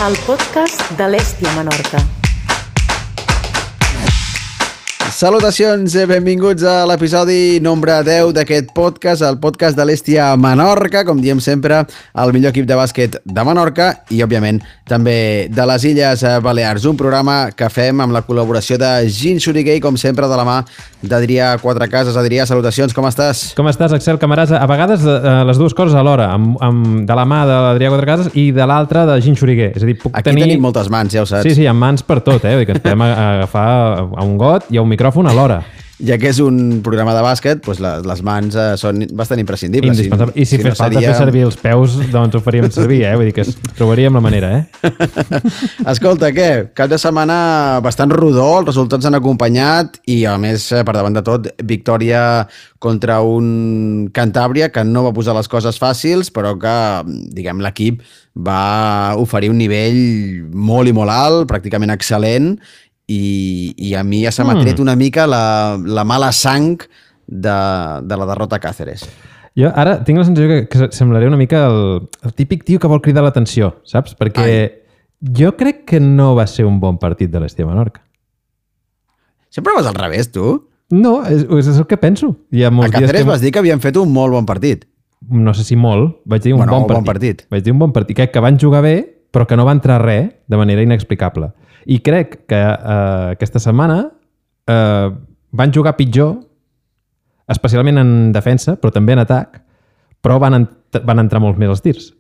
el podcast de l'Èstia Menorca. Salutacions i benvinguts a l'episodi nombre 10 d'aquest podcast, el podcast de l'Èstia Menorca, com diem sempre, el millor equip de bàsquet de Menorca i, òbviament, també de les Illes Balears. Un programa que fem amb la col·laboració de Gin Xuriguer, com sempre, de la mà d'Adrià Quatrecases. Adrià, salutacions, com estàs? Com estàs, Axel Camarasa? A vegades les dues coses alhora, de la mà de l'Adrià Quatrecases i de l'altra de Gin Xuriguer. És a dir, Aquí tenim moltes mans, ja ho saps. Sí, amb mans per tot, que ens podem agafar a un got i a un micròfon alhora. Ja que és un programa de bàsquet, doncs les mans són bastant imprescindibles. Indispensable. I si fes falta fer servir els peus, doncs ho faríem servir, Vull dir que trobaríem la manera, Escolta, què? Cap de setmana bastant rodó, els resultats han acompanyat i, a més, per davant de tot, victòria contra un Cantàbria que no va posar les coses fàcils, però que, diguem, l'equip va oferir un nivell molt i molt alt, pràcticament excel·lent, i a mi ja se m'ha tret una mica la mala sang de la derrota a Càceres. Jo ara tinc la sensació que semblaré una mica el típic tio que vol cridar l'atenció, saps? Perquè jo crec que no va ser un bon partit de l'Èstia Menorca. Sempre vas al revés, tu? No, és el que penso. A Càceres vas dir que havien fet un molt bon partit. No sé si molt, vaig dir un bon partit. Vaig dir un bon partit. Crec que van jugar bé, però que no va entrar res de manera inexplicable. I crec que aquesta setmana van jugar pitjor, especialment en defensa, però també en atac, però van entrar molts més els tirs.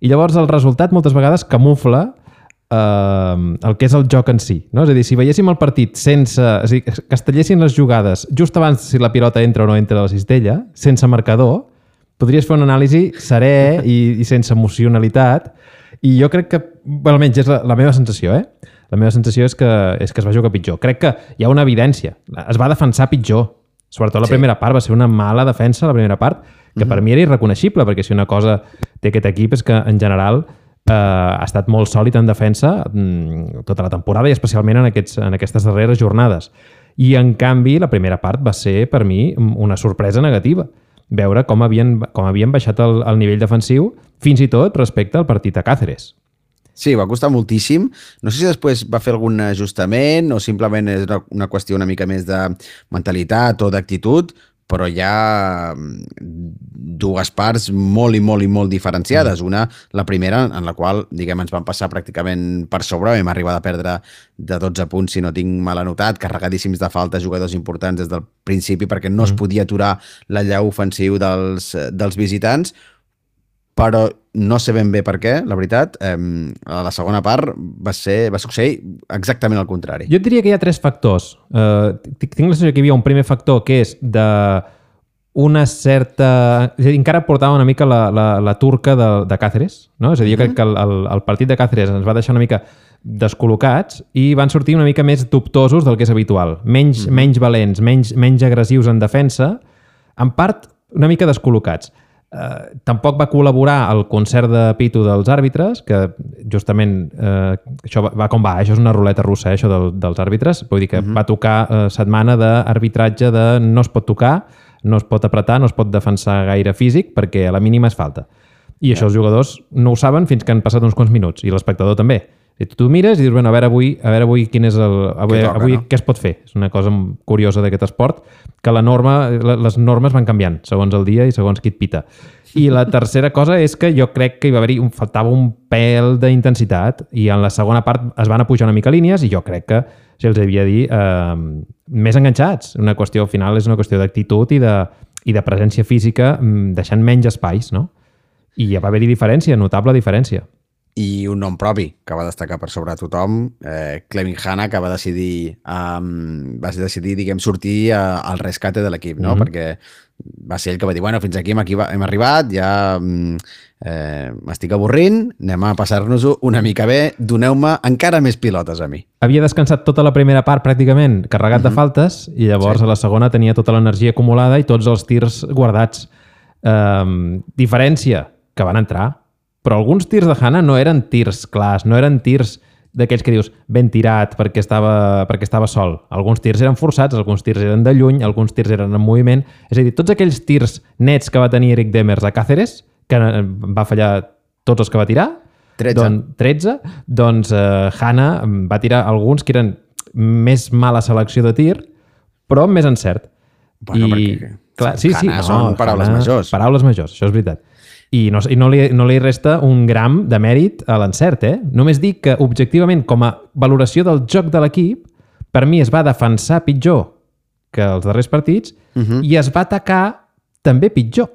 I llavors el resultat moltes vegades camufla el que és el joc en si. No? És a dir, si veiéssim el partit sense... És a dir, que es tallessin les jugades just abans si la pilota entra o no entra a la cistella, sense marcador, podries fer una anàlisi serè i sense emocionalitat. I jo crec que, almenys és la meva sensació, La meva sensació és que es va jugar pitjor. Crec que hi ha una evidència. Es va defensar pitjor. Sobretot la primera part. Va ser una mala defensa la primera part, que per mi era irreconeixible, perquè si una cosa té aquest equip és que, en general, ha estat molt sòlid en defensa tota la temporada i especialment en aquestes darreres jornades. I, en canvi, la primera part va ser, per mi, una sorpresa negativa. Veure com havien baixat el nivell defensiu, fins i tot respecte al partit a Càceres. Sí, va costar moltíssim. No sé si després va fer algun ajustament o simplement és una qüestió una mica més de mentalitat o d'actitud, però hi ha dues parts molt i molt diferenciades. Una, la primera, en la qual, diguem, ens van passar pràcticament per sobre, vam arribar a perdre de 12 punts, si no tinc mal anotat, carregadíssims de faltes, jugadors importants des del principi, perquè no es podia aturar l'allau ofensiu dels visitants, però no sé ben bé per què, la veritat. A la segona part va succeir exactament el contrari. Jo et diria que hi ha tres factors. Tinc la sensació que hi havia un primer factor que és d'una certa... És a dir, encara portava una mica la turca de Càceres, no? És a dir, jo crec que el partit de Càceres ens va deixar una mica descol·locats i van sortir una mica més dubtosos del que és habitual. Menys valents, menys agressius en defensa, en part una mica descol·locats. Tampoc va col·laborar el concert de pito dels àrbitres, que justament això va com va, això és una ruleta russa, això dels àrbitres, vull dir que va tocar setmana d'arbitratge de no es pot tocar, no es pot apretar, no es pot defensar gaire físic, perquè a la mínima és falta. I això els jugadors no ho saben fins que han passat uns quants minuts, i l'espectador també. I tu mires i dius, bueno, a veure avui quin és avui què es pot fer. És una cosa curiosa d'aquest esport, que les normes van canviant segons el dia i segons qui et pita. I la tercera cosa és que jo crec que faltava un pèl d'intensitat i en la segona part es van pujar una mica línies i jo crec que se'ls havia de dir més enganxats. Una qüestió, al final, és una qüestió d'actitud i de presència física, deixant menys espais, no? I ja va haver-hi diferència, notable diferència. I un nom propi que va destacar per sobre tothom, Clevin Hanna, que va decidir diguem, sortir al rescate de l'equip, no? Perquè va ser ell que va dir, bueno, fins aquí hem arribat, ja m'estic avorrint, anem a passar-nos-ho una mica bé, doneu-me encara més pilotes a mi. Havia descansat tota la primera part pràcticament carregat de faltes i llavors a la segona tenia tota l'energia acumulada i tots els tirs guardats. Diferència, que van entrar. Però alguns tirs de Hanna no eren tirs clars, no eren tirs d'aquells que dius ben tirat perquè estava sol. Alguns tirs eren forçats, alguns tirs eren de lluny, alguns tirs eren en moviment. És a dir, tots aquells tirs nets que va tenir Eric Demers a Càceres, que va fallar tots els que va tirar, 13. Doncs Hana va tirar alguns que eren més mala selecció de tir, però amb més encert. Bueno, perquè clar, sí, Hana són paraules majors. Paraules majors, això és veritat. I no li resta un gram de mèrit a l'encert, eh? Només dic que, objectivament, com a valoració del joc de l'equip, per mi es va defensar pitjor que els darrers partits i es va atacar també pitjor.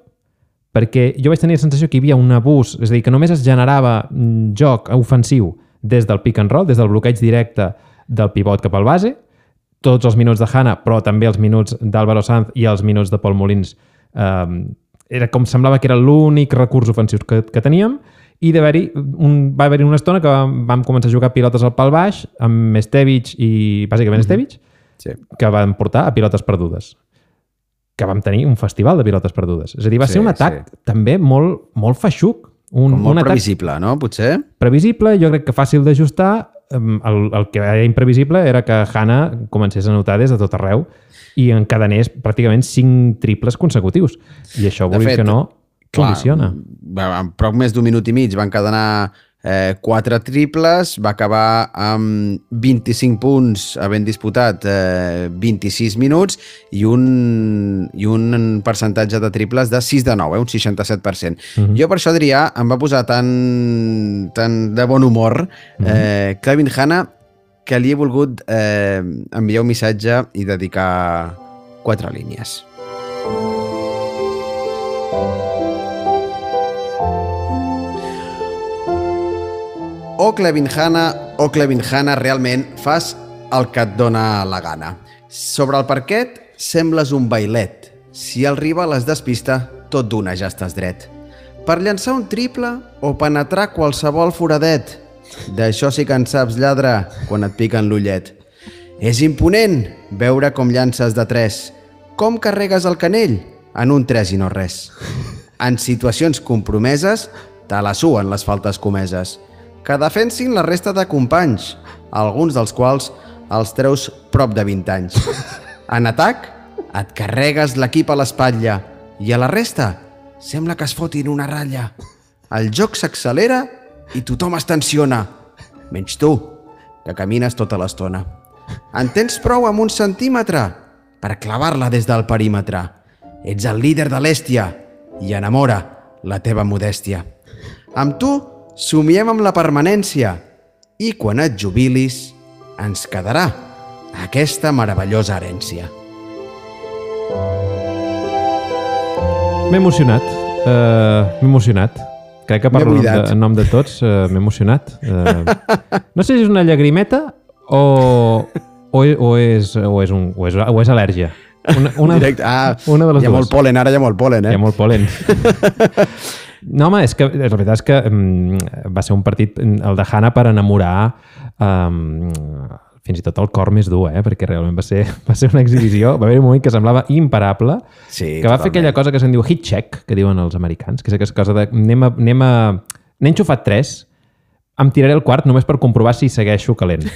Perquè jo vaig tenir la sensació que hi havia un abús, és a dir, que només es generava joc ofensiu des del pick and roll, des del bloqueig directe del pivot cap al base, tots els minuts de Hana, però també els minuts d'Álvaro Sanz i els minuts de Pol Molins era com semblava que era l'únic recurs ofensiu que teníem i va haver-hi una estona que vam començar a jugar pilotes al pal baix amb Estevic i bàsicament Estevic que van portar a pilotes perdudes, que vam tenir un festival de pilotes perdudes. És a dir, va ser un atac també molt, molt feixuc. Molt previsible, no? Potser? Previsible, jo crec que fàcil d'ajustar. El que era imprevisible era que Hana comencés a notar des de tot arreu i encadenés pràcticament 5 triples consecutius. I això, vulguis que no, condiciona. En prop més d'un minut i mig va encadenar 4 triples, va acabar amb 25 punts havent disputat 26 minuts i un percentatge de triples de 6 de 9, un 67%. Jo per això, Adrià, em va posar tan de bon humor Clevin Hana que li he volgut enviar un missatge i dedicar 4 línies. Clevin Hana, realment fas el que et dona la gana. Sobre el parquet sembles un bailet. Si el rival es despista, tot d'una ja estàs dret. Per llançar un triple o penetrar qualsevol foradet. D'això sí que en saps, lladre, quan et piquen l'ullet. És imponent veure com llances de 3. Com carregues el canell? En un 3 i no res. En situacions compromeses, te la suen les faltes comeses. Que defensin la resta de companys, alguns dels quals els treus prop de 20 anys. En atac, et carregues l'equip a l'espatlla i a la resta sembla que es fotin una ratlla. El joc s'accelera i tothom es tensiona, menys tu, que camines tota l'estona. En tens prou amb 1 centímetre per clavar-la des del perímetre. Ets el líder de l'Èstia i enamora la teva modèstia. Amb tu somiem amb la permanència i quan et jubilis ens quedarà aquesta meravellosa herència. M'he emocionat. Crec que parlo en nom de tots. M'he emocionat. No sé si és una llagrimeta o és al·lèrgia. Una de les dues. Hi ha molt pol·len, ara hi ha molt pol·len. Hi ha molt pol·len. No, home, és que la veritat és que va ser un partit, el de Hana, per enamorar fins i tot el cor més dur, perquè realment va ser una exhibició. Va haver un moment que semblava imparable, que va fer aquella cosa que se'n diu hit check, que diuen els americans, que és aquesta cosa de n'he enxufat 3, em tiraré el quart només per comprovar si segueixo calent.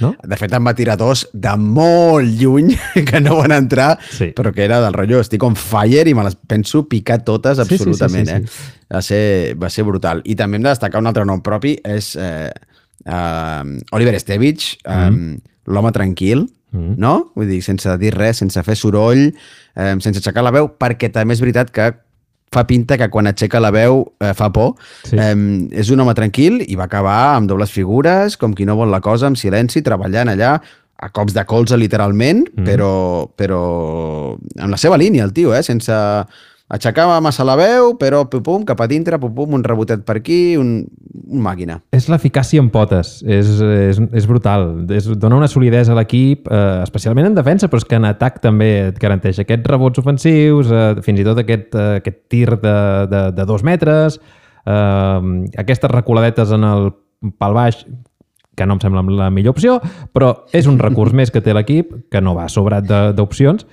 No? De fet, em va tirar 2 de molt lluny, que no van entrar, però que era del rotllo, estic on fire i me les penso picar totes absolutament. Sí. Va ser brutal. I també hem de destacar un altre nom propi, és Oliver Estevic, l'home tranquil, no? Vull dir, sense dir res, sense fer soroll, sense aixecar la veu, perquè també és veritat que fa pinta que quan aixeca la veu fa por. És un home tranquil i va acabar amb dobles figures, com qui no vol la cosa, amb silenci, treballant allà, a cops de colze, literalment, però amb la seva línia, el tio, sense aixecar massa la veu, però pum, cap a dintre, pum, un rebotet per aquí, un màquina. És l'eficàcia en potes, és brutal. Dona una solidesa a l'equip, especialment en defensa, però és que en atac també et garanteix aquests rebots ofensius, fins i tot aquest tir de 2 metres, aquestes recoladetes en el pal baix, que no em sembla la millor opció, però és un recurs més que té l'equip, que no va sobrat d'opcions.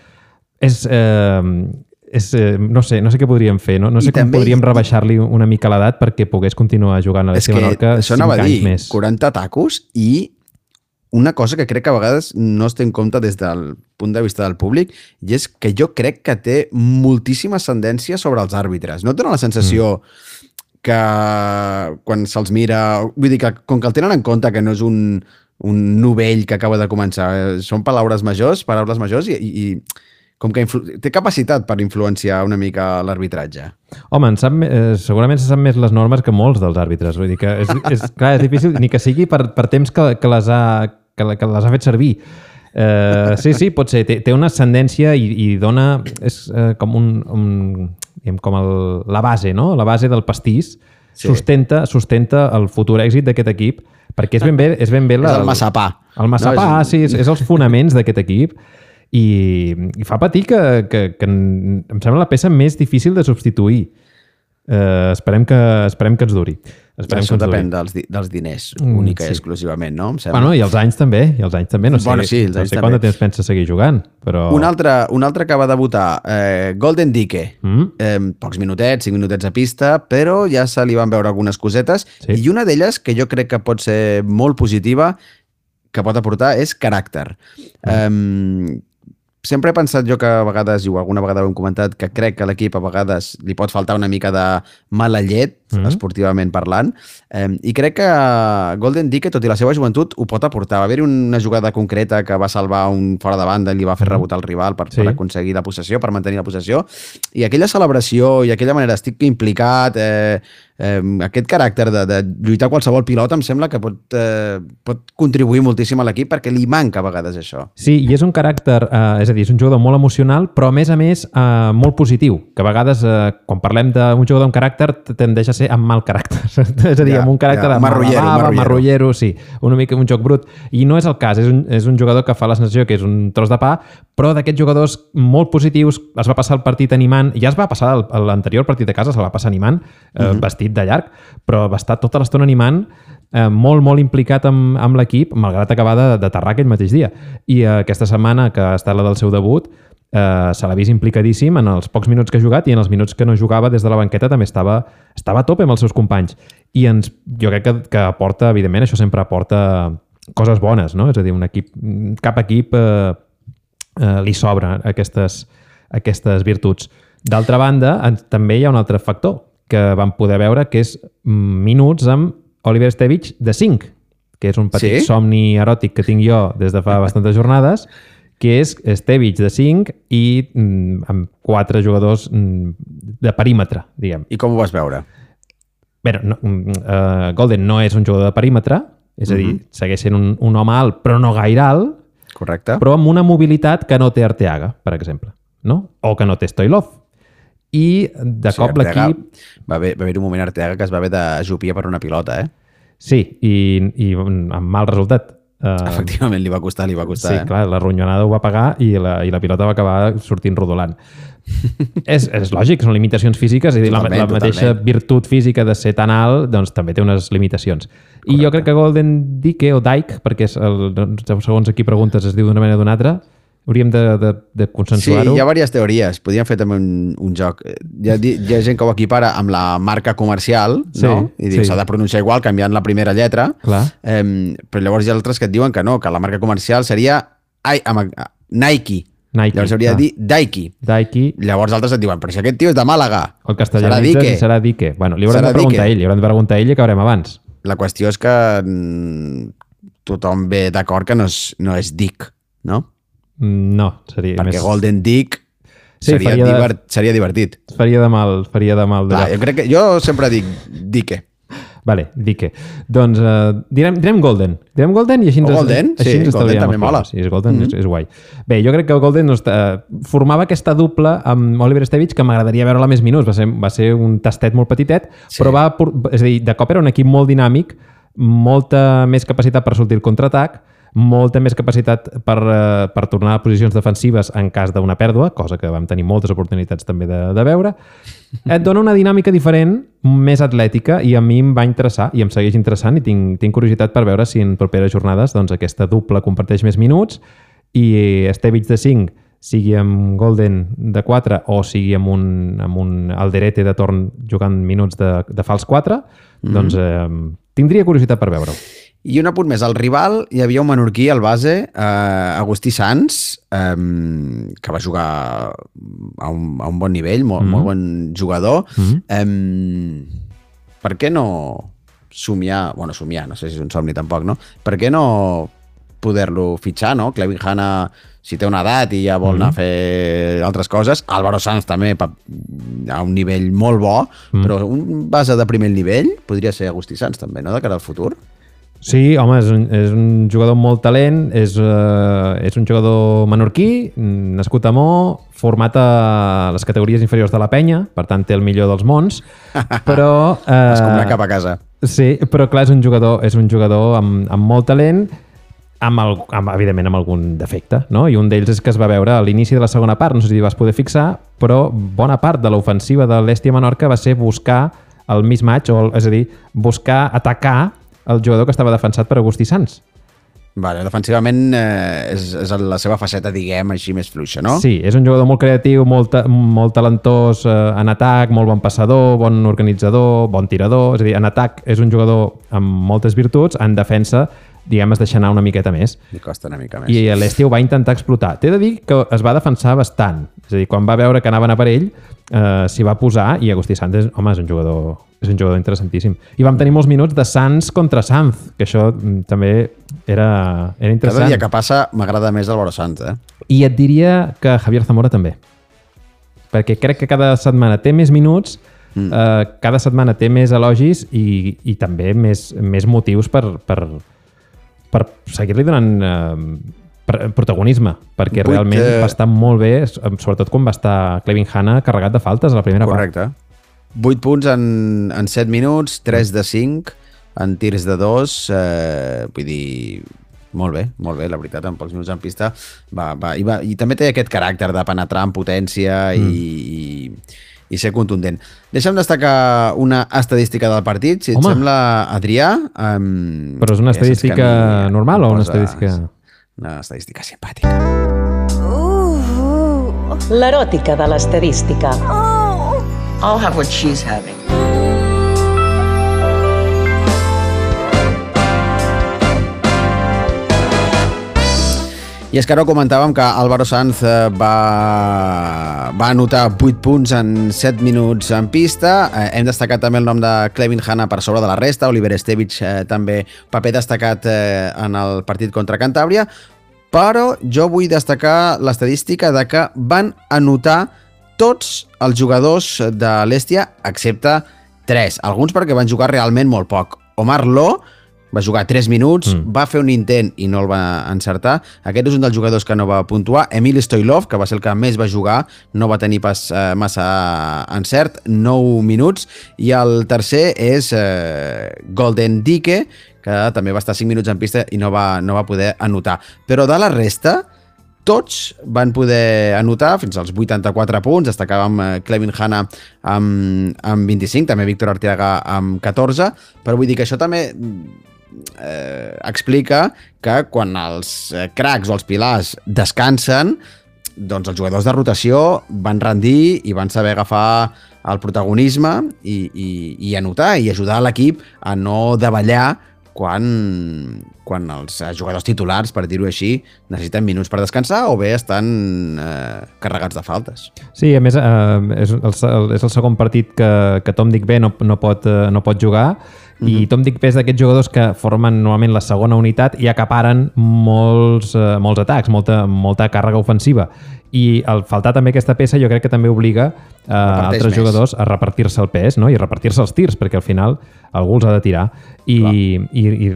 No sé què podríem fer, no sé com podríem rebaixar-li una mica l'edat perquè pogués continuar jugant a l'Estia Menorca 5 anys més. 40 tacos i una cosa que crec que a vegades no es té en compte des del punt de vista del públic, i és que jo crec que té moltíssima ascendència sobre els àrbitres. No et dona la sensació que quan se'ls mira... Vull dir que com que el tenen en compte que no és un novell que acaba de començar, són paraules majors i com que té capacitat per influenciar una mica l'arbitratge. Home, segurament se sap més les normes que molts dels àrbitres. Vull dir que clar, és difícil, ni que sigui per temps que les ha fet servir. Sí, pot ser. Té una ascendència i dona... És com com la base, no? La base del pastís sustenta el futur èxit d'aquest equip, perquè és ben bé... És el massapà. El massapà, sí, és els fonaments d'aquest equip i fa patir que em sembla la peça més difícil de substituir. Esperem que ens duri. Això depèn dels diners, única i exclusivament, no? Bueno, i els anys també. No sé quant de temps pensa seguir jugant, però... Un altre que va debutar, Golden Dike. Pocs minutets, 5 minutets a pista, però ja se li van veure algunes cosetes, i una d'elles, que jo crec que pot ser molt positiva, que pot aportar, és caràcter. Sempre he pensat jo que a vegades, i alguna vegada ho hem comentat, que crec que a l'equip a vegades li pot faltar una mica de mala llet, esportivament parlant, i crec que Golden Dike, tot i la seva joventut, ho pot aportar. Va haver-hi una jugada concreta que va salvar un fora de banda i li va fer rebotar el rival per aconseguir la possessió, per mantenir la possessió, i aquella celebració i aquella manera estic implicat, aquest caràcter de lluitar qualsevol pilota em sembla que pot contribuir moltíssim a l'equip perquè li manca a vegades això. Sí, i és un caràcter, és a dir, és un jugador molt emocional, però a més molt positiu, que a vegades quan parlem d'un jugador amb caràcter tendeix a ser amb mal caràcter, és a dir, amb un caràcter marrullero, sí, una mica un joc brut, i no és el cas, és un jugador que fa la sensació que és un tros de pa, però d'aquests jugadors molt positius, es va passar el partit animant, ja es va passar l'anterior partit de casa, se'l va passar animant, vestit de llarg, però va estar tota l'estona animant, molt, molt implicat amb l'equip, malgrat acabar d'aterrar aquell mateix dia. I aquesta setmana, que ha estat la del seu debut, se l'ha vist implicadíssim en els pocs minuts que ha jugat i en els minuts que no jugava des de la banqueta també estava a tope amb els seus companys. I jo crec que aporta, evidentment, això sempre aporta coses bones, no? És a dir, cap equip li sobra aquestes virtuts. D'altra banda, també hi ha un altre factor que vam poder veure, que és minuts amb Oliver Stevich de 5, que és un petit somni eròtic que tinc jo des de fa bastantes jornades, que és Stevich de 5 i amb 4 jugadors de perímetre, diguem. I com ho vas veure? Bé, Golden no és un jugador de perímetre, és a dir, segueix sent un home alt, però no gaire alt, correcte, però amb una mobilitat que no té Arteaga, per exemple, no? O que no té Stoilov. I de cop l'equip... Va haver un moment Arteaga que es va haver d'ajupir per una pilota, Sí, i amb mal resultat. Efectivament, li va costar. Sí, clar, la ronyonada ho va pagar i la pilota va acabar sortint rodolant. És lògic, són limitacions físiques, és a dir, la mateixa virtut física de ser tan alt doncs també té unes limitacions. Correcte. I jo crec que Golden Dike, o Dike, perquè segons a qui preguntes es diu d'una manera o d'una altra, hauríem de consensuar-ho. Sí, hi ha diverses teories. Podríem fer també un joc. Hi ha gent que ho equipara amb la marca comercial, no? I diu, s'ha de pronunciar igual canviant la primera lletra. Clar. Però llavors hi ha altres que et diuen que no, que la marca comercial seria Nike. Llavors hauria de dir Daiki. Llavors altres et diuen, però si aquest tio és de Màlaga. El castellanitzes serà Dike. Bueno, li haurem de preguntar a ell, i acabarem abans. La qüestió és que tothom ve d'acord que no és Dick, no? No, seria perquè més... Golden Dick seria divertit. Faria de mal. Clar, jo sempre dic Dike. Vale, Dike. Doncs direm Golden. Direm Golden i així ens Golden? Sí, Golden també mola. Sí, Golden és guai. Bé, jo crec que Golden formava aquesta dupla amb Oliver Stevich que m'agradaria veure-la més minuts. Va ser un tastet molt petitet, però és a dir, de cop era un equip molt dinàmic, molta més capacitat per sortir el contraatac, molta més capacitat per tornar a posicions defensives en cas d'una pèrdua, cosa que vam tenir moltes oportunitats també de veure. Et dona una dinàmica diferent, més atlètica, i a mi em va interessar i em segueix interessant i tinc curiositat per veure si en properes jornades doncs, aquesta dupla comparteix més minuts i Stevich de 5 sigui amb Golden de 4 o sigui amb un Alderete de torn jugant minuts de fals 4, doncs tindria curiositat per veure-ho. I un apunt més, al rival hi havia un menorquí al base, Agustí Sans, que va jugar a un bon nivell, molt bon jugador. per què no somiar, no sé si és un somni tampoc, no? Per què no poder-lo fitxar, no? Clevin Hanna, si té una edat i ja vol anar a fer altres coses, Álvaro Sanz també a un nivell molt bo, però un base de primer nivell podria ser Agustí Sanz també, no? De cara al futur. Sí, home, és un jugador amb molt talent, és un jugador menorquí, nascut a Mo, format a les categories inferiors de la penya, per tant té el millor dels mons, però... Es compra cap a casa. Sí, però clar, és un jugador amb molt talent, evidentment amb algun defecte, no? I un d'ells és que es va veure a l'inici de la segona part, no sé si vas poder fixar, però bona part de l'ofensiva de l'Hèstia Menorca va ser buscar el mismatch, és a dir, buscar atacar el jugador que estava defensat per Agustí Sanz. Vale, defensivament és la seva faceta, diguem, així més fluixa, no? Sí, és un jugador molt creatiu, molt talentós en atac, molt bon passador, bon organitzador, bon tirador, és a dir, en atac és un jugador amb moltes virtuts, en defensa diguem, es deixa anar una miqueta més. Li costa una mica més. I l'Hèstia ho va intentar explotar. T'he de dir que es va defensar bastant. És a dir, quan va veure que anaven a per ell, s'hi va posar i Agustí Sanz, és un jugador interessantíssim. I vam tenir molts minuts de Sanz contra Sanz, que això també era interessant. Cada dia que passa m'agrada més Álvaro Sanz, I et diria que Javier Zamora també. Perquè crec que cada setmana té més minuts, cada setmana té més elogis i també més motius per seguir-li donant protagonisme, perquè realment va estar molt bé, sobretot quan va estar Clevin Hanna carregat de faltes a la primera part. Correcte. 8 punts en 7 minuts, 3 de 5, en tirs de 2, vull dir, molt bé, la veritat, en pocs minuts en pista. I també té aquest caràcter de penetrar en potència i ser contundent. Deixa'm destacar una estadística del partit, si et sembla, Adrià. Però és una estadística normal o una estadística... Una estadística simpàtica. L'eròtica de l'estadística. I'll have what she's having. I és que ara comentàvem que Álvaro Sanz va anotar 8 punts en 7 minuts en pista. Hem destacat també el nom de Clevin Hanna per sobre de la resta. Oliver Estevich també paper destacat en el partit contra Cantàbria. Però jo vull destacar l'estadística de que van anotar tots els jugadors de l'Hèstia, excepte 3. Alguns perquè van jugar realment molt poc. Omar Lo va jugar 3 minuts, va fer un intent i no el va encertar. Aquest és un dels jugadors que no va puntuar. Emil Stoilov, que va ser el que més va jugar, no va tenir pas massa encert, 9 minuts. I el tercer és Golden Dike, que també va estar 5 minuts en pista i no va poder anotar. Però de la resta, tots van poder anotar fins als 84 punts. Destacàvem Clevin Hanna amb 25, també Víctor Arteaga amb 14, però vull dir que això també explica que quan els cracs o els pilars descansen, doncs els jugadors de rotació van rendir i van saber agafar el protagonisme i anotar i ajudar l'equip a no davallar quan els jugadors titulars, per dir-ho així, necessiten minuts per descansar o bé estan carregats de faltes. Sí, a més, és el segon partit que Tom Digbé no pot jugar i Tom Digbé és d'aquests jugadors que formen normalment la segona unitat i acaparen molts atacs, molta càrrega ofensiva. I al faltar també aquesta peça jo crec que també obliga altres jugadors a repartir-se el pes, no? I repartir-se els tirs, perquè al final algú els ha de tirar. I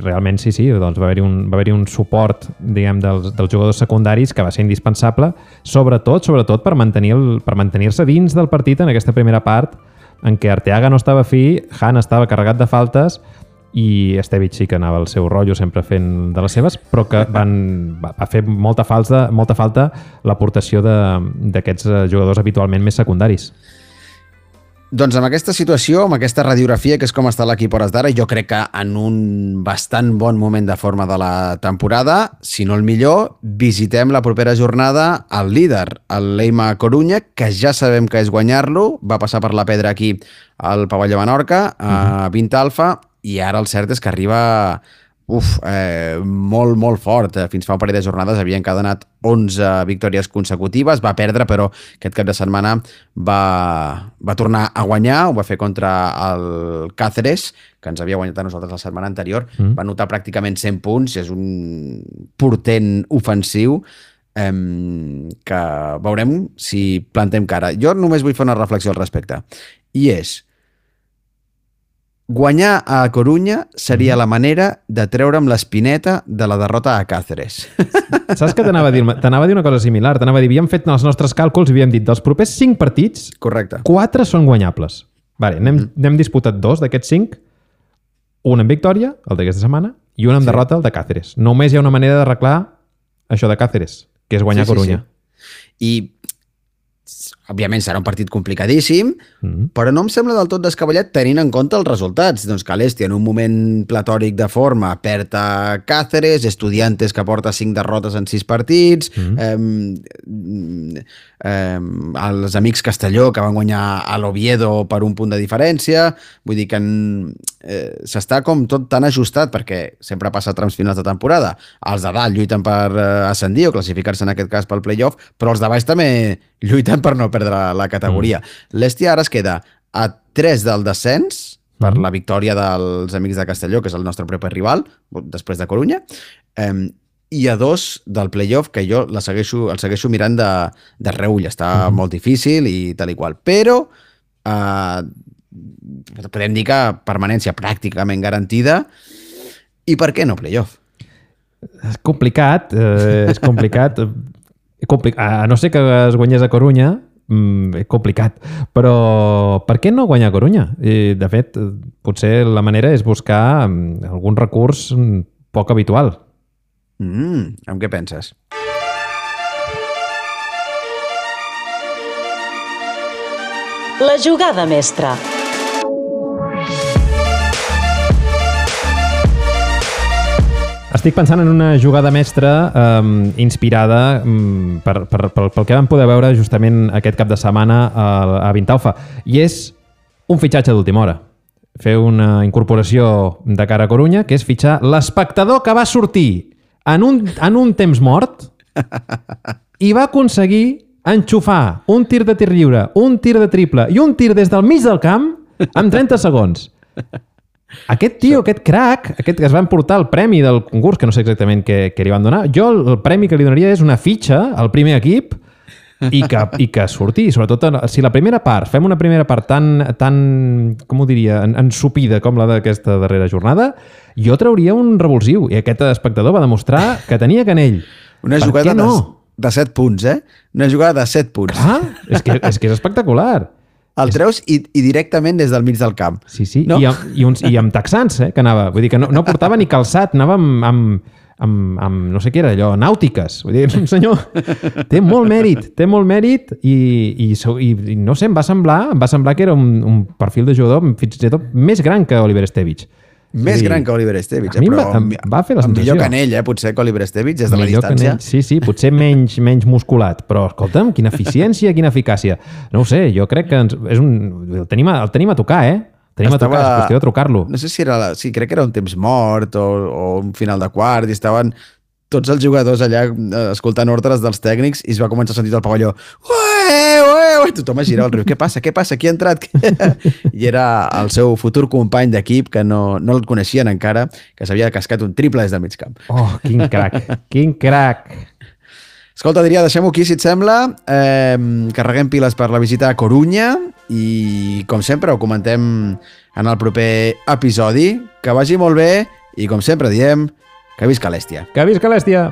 realment sí, doncs va haver-hi un suport, diguem, dels jugadors secundaris que va ser indispensable, sobretot per mantenir-se dins del partit en aquesta primera part en què Arteaga no estava fi, Han estava carregat de faltes i Estevich sí que anava al seu rotllo sempre fent de les seves, però que va fer molta falta l'aportació d'aquests jugadors habitualment més secundaris. Doncs amb aquesta situació, amb aquesta radiografia, que és com està l'equip hores d'ara, jo crec que en un bastant bon moment de forma de la temporada, si no el millor, visitem la propera jornada al líder, el Leima Corunya, que ja sabem que és guanyar-lo, va passar per la pedra aquí al Pavelló Menorca, a 20 Alfa, i ara el cert és que arriba molt, molt fort. Fins fa un parell de jornades havia encadenat 11 victòries consecutives, va perdre, però aquest cap de setmana va tornar a guanyar, ho va fer contra el Cáceres, que ens havia guanyat a nosaltres la setmana anterior, va anotar pràcticament 100 punts, és un portent ofensiu que veurem si plantem cara. Jo només vull fer una reflexió al respecte, i és: guanyar a Corunya seria la manera de treure'm l'espineta de la derrota a Cáceres. Saps què t'anava a dir? T'anava a dir una cosa similar. T'anava a dir, havíem fet els nostres càlculs i havíem dit, dels propers 5 partits, correcte, 4 són guanyables. Vale, n'hem disputat 2 d'aquests 5, un amb victòria, el d'aquesta setmana, i un amb derrota, el de Cáceres. Només hi ha una manera d'arreglar això de Cáceres, que és guanyar Corunya. I òbviament serà un partit complicadíssim, però no em sembla del tot descabellat tenint en compte els resultats. Doncs Calesti, en un moment platòric de forma, perd a Cáceres, Estudiantes, que porta 5 derrotes en 6 partits, els amics Castelló, que van guanyar a l'Oviedo per un punt de diferència. Vull dir que s'està com tot tan ajustat, perquè sempre passa a trams finals de temporada. Els de dalt lluiten per ascendir o classificar-se en aquest cas pel playoff, però els de baix també lluiten per no perdre la categoria. L'Estia ara es queda a 3 del descens per la victòria dels amics de Castelló, que és el nostre proper rival, després de Corunya, i a 2 del playoff, que jo el segueixo mirant de reull. Està molt difícil i tal i qual. Però podem dir que permanència pràcticament garantida. I per què no playoff? És complicat. A no ser que es guanyés a Corunya, complicat. Però per què no guanyar a Corunya? De fet, potser la manera és buscar algun recurs poc habitual. Amb què penses? La jugada mestra. Estic pensant en una jugada mestra inspirada pel que vam poder veure justament aquest cap de setmana a Vintaufa. I és un fitxatge d'última hora. Fer una incorporació de cara a Corunya, que és fitxar l'espectador que va sortir en un temps mort i va aconseguir enxufar un tir de tir lliure, un tir de triple i un tir des del mig del camp en 30 segons. Aquest tio, aquest crac, aquest que es va emportar el premi del concurs, que no sé exactament què li van donar, jo el premi que li donaria és una fitxa al primer equip i que surti, sobretot si la primera part, fem una primera part tan com ho diria, ensupida com la d'aquesta darrera jornada, jo trauria un revulsiu i aquest espectador va demostrar que tenia canell. Una jugada de 7 punts, Una jugada de 7 punts. Clar, és que és espectacular. El treus i directament des del mig del camp. Sí, no? I amb texans, que anava. Vull dir que no portava ni calçat, anava amb no sé què era allò, nàutiques. Vull dir, un senyor té molt mèrit i no sé, em va semblar que era un perfil de jugador fins i tot més gran que Oliver Estevich. Més gran que Oliver Estevich, a mi em va fer la sensació. Millor canell, potser que Oliver Estevich des de la distància. Sí, potser menys musculat, però escolta'm, quina eficiència, quina eficàcia. No ho sé, jo crec que el tenim a tocar, Tenim a tocar, és qüestió de trucar-lo. No sé si crec que era un temps mort o un final de quart i estaven tots els jugadors allà escoltant ordres dels tècnics i es va començar a sentir del pavelló tothom es girava al riu. Què passa? Qui ha entrat? I era el seu futur company d'equip que no el coneixien encara, que s'havia cascat un triple des del mig camp. Oh, quin crac! Escolta, Adrià, deixem-ho aquí, si et sembla. Carreguem piles per la visita a Corunya i, com sempre, ho comentem en el proper episodi. Que vagi molt bé i, com sempre diem, que visca l'Èstia. Que visca l'Èstia!